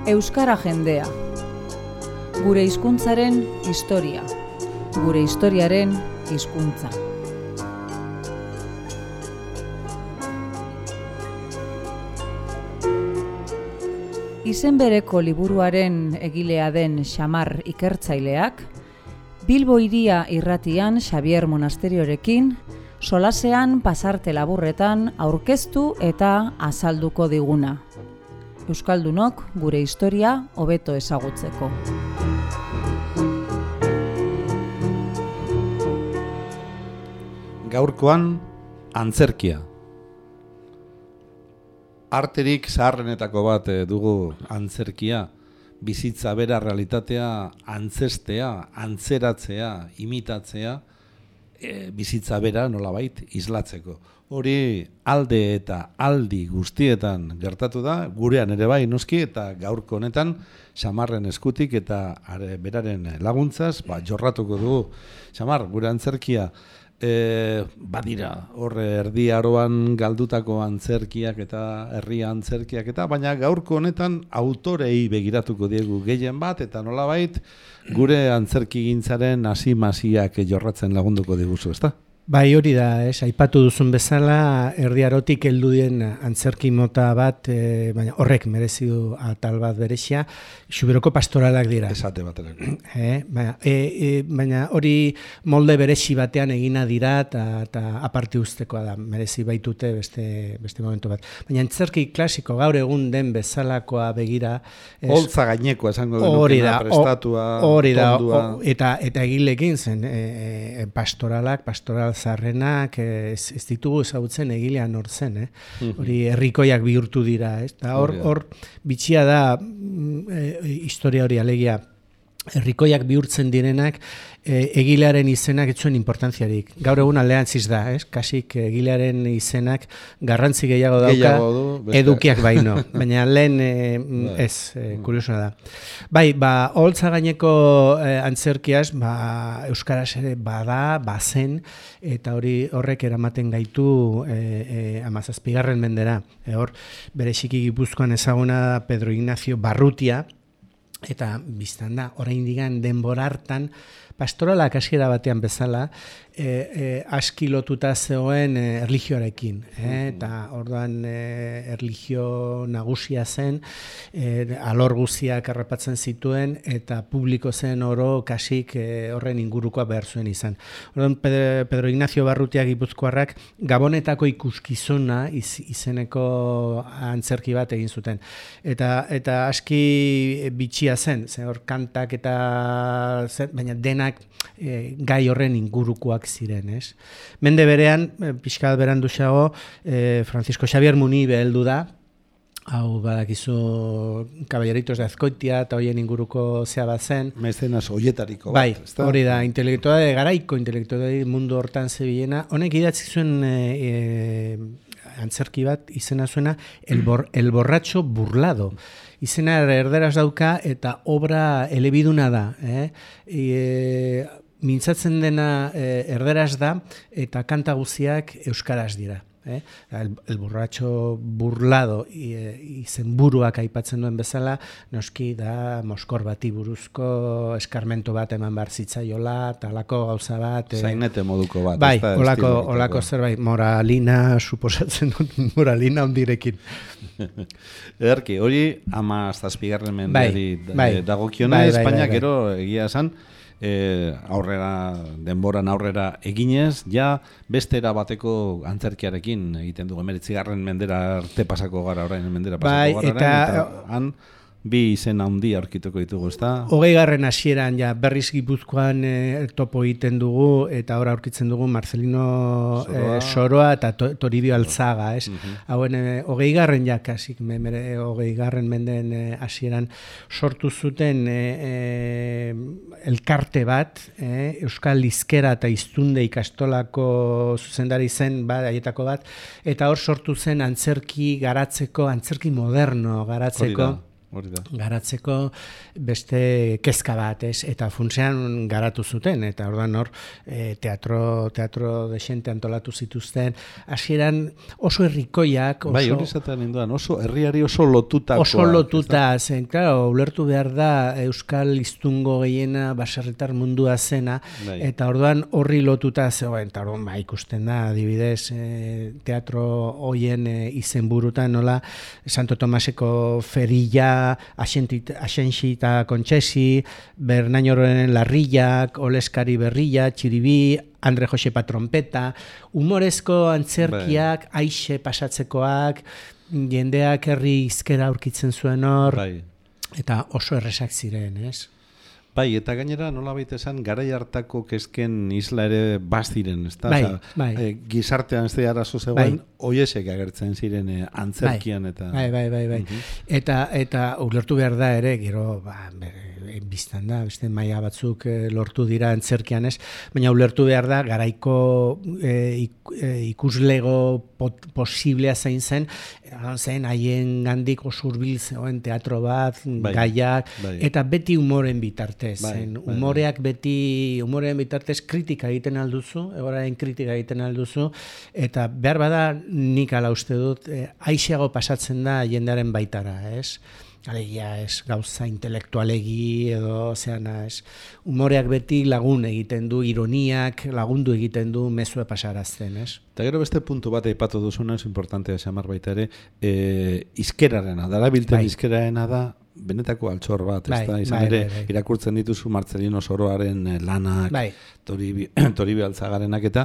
Euskara jendea. Gure hizkuntzaren historia. Gure historiaren hizkuntza. Izen bereko liburuaren egilea den Xamar ikertzaileak, Bilbo Hiria irratian Xabier Monasteriorekin, solasean pasarte laburretan aurkeztu eta azalduko diguna. Euskaldunok gure historia hobeto ezagutzeko. Gaurkoan, antzerkia. Arterik zaharrenetako bat dugu antzerkia, bizitza bera realitatea antzestea, antzeratzea, imitatzea, bizitza bera nolabait islatzeko. Hori alde eta aldi guztietan gertatu da, gurean ere bai noski eta gaurko honetan Xamarren eskutik eta beraren laguntzaz, jorratuko dugu. Xamar, gure antzerkia, badira, horre erdi aroan galdutako antzerkiak eta herria antzerkiak eta, baina gaurko honetan autorei begiratuko diegu gehien bat eta nolabait gure antzerkigintzaren hasi-masiak jorratzen lagunduko diguzu, ezta? Bai, hori da, aipatu duzun bezala, erdi arotik heldu den antzerki mota bat, baina horrek merezi du atal bat berezia, Xuberoko pastoralak dira. Esate baterako. Baina hori molde berezi batean egina dira eta aparte uztekoa da, merezi baitute beste momentu bat. Baina antzerki klasiko gaur egun den bezalakoa begira. Holtza gainekoa esango denukena, prestatua, tondua. Eta egilekin zen, pastoral zarrenak ez ditugu ezagutzen egilean hor zen, hori herrikoiak bihurtu dira, eta hor bitxia da historia hori alegia herrikoiak bihurtzen direnak egilearen izenak ez zuen importantziarik. Gaur egun aldeantziz da, kasik egilearen izenak garrantzi gehiago dauka edukiak baino, baina lehen kuriosoa da. Bai, holtza gaineko antzerkiaz, euskaraz ere bada, bazen, eta horrek eramaten gaitu 17. mendera. Hor, bereziki Gipuzkoan ezaguna Pedro Ignacio Barrutia, eta biztan da, oraindik denbora hartan, pastoralak hasiera batean bezala, aski lotuta zegoen erlijioarekin. Eta orduan erlijio nagusia zen, alor guztiak harrapatzen zituen, eta publiko zen oro kasik horren ingurukoa behar zuen izan. Orduan Pedro Ignacio Barrutia Gipuzkoarrak Gabonetako ikuskizuna izeneko antzerki bat egin zuten. Eta aski bitxia zen, hor kantak eta baina denak gai horren ingurukoak ziren, ez? Mende berean, pixka beranduxago, Francisco Xavier Munibe heldu da, hau badakizu Caballeritos de Azkoitia eta hoien inguruko zea bat zen. Mecenas hoietariko bat. Bai, hori da, garaiko intelektualei mundu hortan zebilena. Honek idatzi zuen antzerki bat izena zuena El borracho burlado. Izena erderaz dauka eta obra elebiduna da. Mintzatzen dena erderaz da eta kanta guztiak euskaraz dira. El borracho burlado izenburuak aipatzen duen bezala, noski da Moskor bati buruzko eskarmento bat eman behar zitzaiola, talako gauza bat. Zainete moduko bat. Bai, olako zerbait, moralina, suposatzen dut, moralina ondirekin. Ederki, hori 17. mendeari dagokiona, Espainiak gero egia esan, denboran aurrera eginez, ja beste bateko antzerkiarekin egiten dugu, 19. mendera arte pasako gara orain, eta han bi izen handi aurkituko ditugu, ezta? 20. hasieran ja berriz Gipuzkoan topo egiten dugu eta hor aurkitzen dugu Marcelino Soroa eta Toribio Alzaga, ez? Hauen 20. ja kasik 20. menden hasieran sortu zuten elkarte bat, Euskal Hizkera eta Hiztunde ikastolako zuzendari zen haietako bat, eta hor sortu zen antzerki garatzeko, antzerki moderno garatzeko garatzeko beste kezka bat, ez? Eta funtsean garatu zuten, eta orduan hor teatro desente antolatu zituzten, hasieran oso herrikoiak, bai, hori zaten ninduan, oso herriari oso lotutakoa. Oso lotuta zen, claro, ulertu behar da euskal hiztungo gehiena baserritar mundua zena, eta orduan horri lotuta zegoen, eta orduan ikusten da, adibidez, teatro hoien izenburutan, nola, Santo Tomaseko ferilla, Axenxi eta Kontxesi, Bernañororen Larrillak, Oleskari Berrilla, Txiribi, Andre Josepa Trompeta, humorezko antzerkiak, aixe pasatzekoak, jendeak herri hizkera aurkitzen zuen hor, eta oso erresak ziren, ez? Bai, eta gainera nolabait esan garai hartako kezken isla ere baziren, ezta? Gizartean ez da arazo zegoen, hoiesek agertzen ziren antzerkian eta Bai. Eta ulertu behar da ere, gero biztan da, beste maila batzuk lortu dira antzerkian ez, baina ulertu behar da garaiko ikuslego posiblea zein zen haien gandik oso hurbil zegoen teatro bat, gaiak, eta beti humoren bitartez. Humorean bitartez kritika egiten alduzu, egoraren kritika egiten alduzu, eta behar bada nik ala uste dut, aiseago pasatzen da jendearen baitara, ez? Alegia, ez gauza intelektualegi edo, ez, humoreak beti lagun egiten du, ironiak lagundu egiten du mezue pasarazten, ez? Eta gero beste puntu bat aipatu duzuna, ez importantea esamar baita ere, izkerarena, darabilten izkerarena da, benetako altxor bat, ez da, izan ere, irakurtzen dituzu Marcelino Soroaren lanak, Toribi Altzagarenak eta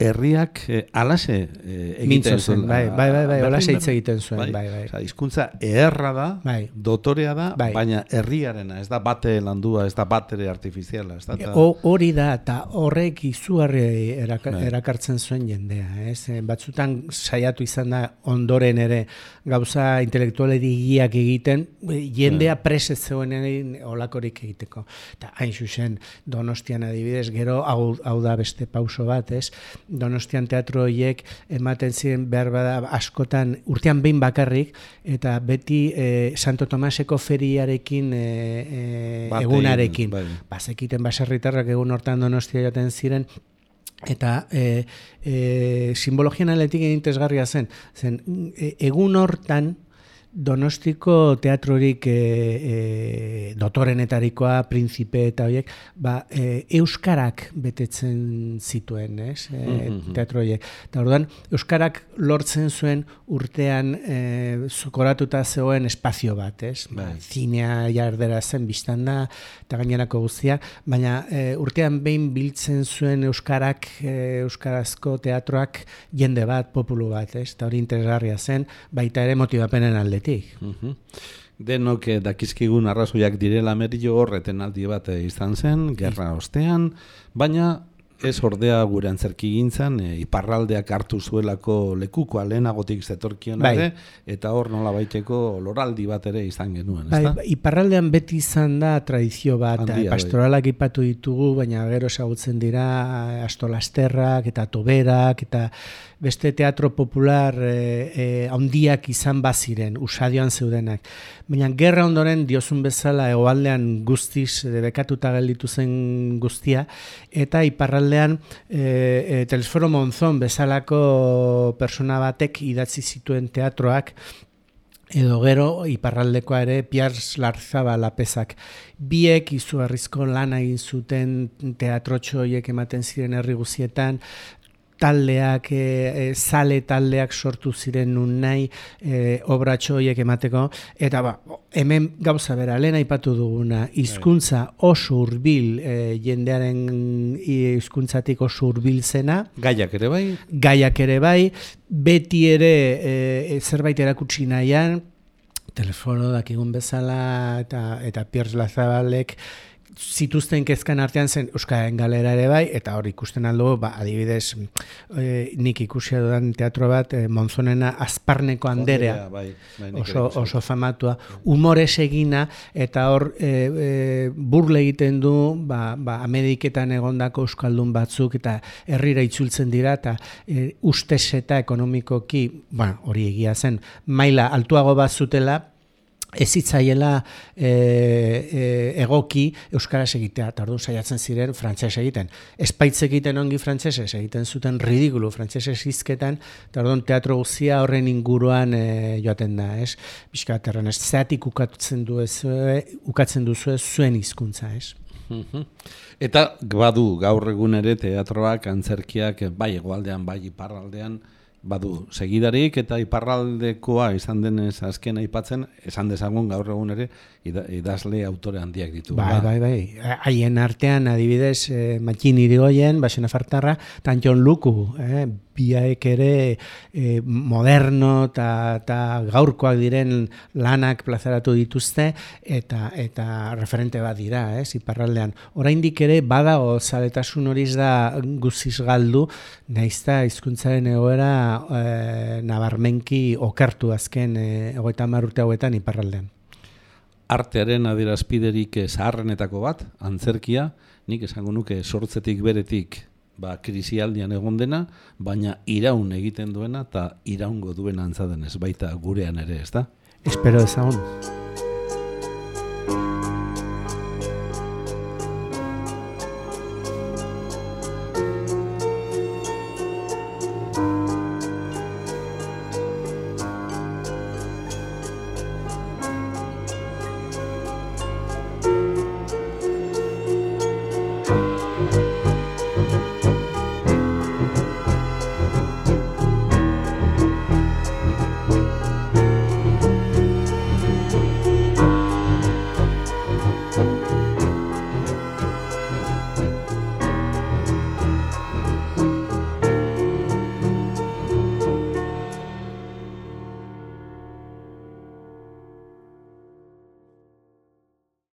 herriak alase egiten zuen. Alase hitz egiten zuen. Hizkuntza eherra da, dotorea da, baina herriarena, ez da bate landua, ez da batere artifiziala. Hori da, eta horrek izugarri erakartzen zuen jendea. Batzutan saiatu izan da ondoren ere gauza intelektualeriak egiten, jendea prese zegoen olakorik egiteko. Eta hain zuzen, Donostian adibidez, gero hau da beste pauso bat, ez? Donostian teatro horiek ematen ziren behar bada askotan urtean behin bakarrik, eta beti Santo Tomaseko feriarekin egunarekin. Bazekiten baserritarrak egun hortan Donostia joaten ziren, eta simbologian aletik interesgarria zen egun hortan Donostiko teatrorik dotorenetarikoa, prinzipe eta horiek, euskarak betetzen zituen, teatro horiek. Eta orduan, euskarak lortzen zuen urtean zukoratuta zegoen espazio bat, zinea jardera zen biztan da, eta gainerako guztia, baina urtean behin biltzen zuen euskarazko teatroak jende bat, populu bat, eta hori interesgarria zen, baita ere motibapenen aldetik. Denok dakizkigun arrazoiak direla merio horreten aldi bat izan zen, gerra ostean, baina ez ordea gure antzerki gintzan, iparraldeak hartu zuelako lekukoa lehenagotik zetorkion ere, eta hor nola baiteko loraldi bat ere izan genuen, ezta? Iparraldean beti izan da tradizio bat, pastoralak ipatu ditugu, baina gero ezagutzen dira Astolasterrak eta Toberak, eta beste teatro popular handiak izan baziren, usadioan zeudenak. Baina gerra ondoren diozun bezala hegoaldean guztiz bekatuta gelditu zen guztia, eta iparraldean Telesforo Monzon bezalako persona batek idatzi zituen teatroak, edo gero iparraldekoa ere Piars Larzabal Lapezak. Biek izugarrizko lana egin zuten teatrotxo horiek ematen ziren herri guztietan, taldeak, sale taldeak sortu ziren nun nahi, obratxo horiek emateko, eta hemen gauza bera, lehen aipatu duguna, hizkuntza oso hurbil, jendearen hizkuntzatik oso hurbil zena. Gaiak ere bai? Gaiak ere bai, beti ere zerbait erakutsi nahian, Telefono dakigun bezala, eta Piers Lazabalek, zituzten kezkan artean zen Euskararen Galera ere bai, eta hor ikusten aldo, adibidez, nik ikusia dudan teatro bat, Monzonena Azparneko Anderea, oso famatua, humorez egina, eta hor burle egiten du, Ameriketan egondako euskaldun batzuk, eta herrira itzultzen dira, eta ustez eta ekonomikoki, hori egia zen, maila altuago bat zutela, ez zitzaiela egoki euskaraz egitea, eta orduan saiatzen ziren frantses egiten. Espaitz egiten ongi frantsesez, egiten zuten ridikulu frantsesez hizketan, eta orduan teatro guztia horren inguruan joaten da, ez? Bizkat erran, ez zeatik ukatzen duzu zuen hizkuntza, ez? Eta badu gaur egun ere teatroak, antzerkiak, bai hegoaldean, bai iparraldean, badu segidarik, eta iparraldekoa izan denez azken aipatzen, esan dezagun gaur egun ere idazle autore handiak ditu. Bai. Haien artean adibidez Matxin Irigoyen, Baxena Fartarra, eta Jon Luku, biaek ere moderno eta gaurkoak diren lanak plazaratu dituzte, eta referente bat dira, iparraldean. Oraindik ere badago zaletasun horiz da guziz galdu, naizta hizkuntzaren egoera nabarmenki okertu azken 30 urte hauetan iparraldean. Artearen adierazpiderik zaharrenetako bat, antzerkia, nik esango nuke sortzetik beretik krisialdian egon dena, baina iraun egiten duena eta iraungo duena antza denez, baita gurean ere, ezta? Espero ezagun.